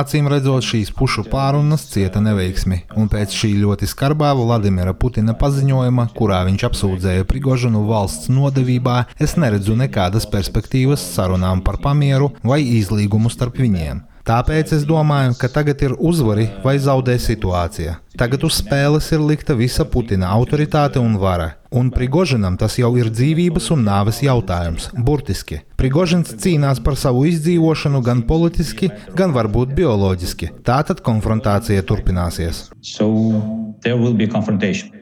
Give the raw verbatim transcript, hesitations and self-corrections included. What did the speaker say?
Acīm redzot, šīs pušu pārunas cieta neveiksmi, un pēc šī ļoti skarbā Vladimira Putina paziņojuma, kurā viņš apsūdzēja Prigožinu valsts nodevībā, es neredzu nekādas perspektīvas sarunām par pamieru vai izlīgumu starp viņiem. Tāpēc es domāju, ka tagad ir uzvari vai zaudē situācija. Tagad uz spēles ir likta visa Putina autoritāte un vara. Un Prigožinam tas jau ir dzīvības un nāves jautājums, burtiski. Prigožins cīnās par savu izdzīvošanu gan politiski, gan varbūt bioloģiski. Tātad konfrontācija turpināsies. So there will be confrontation.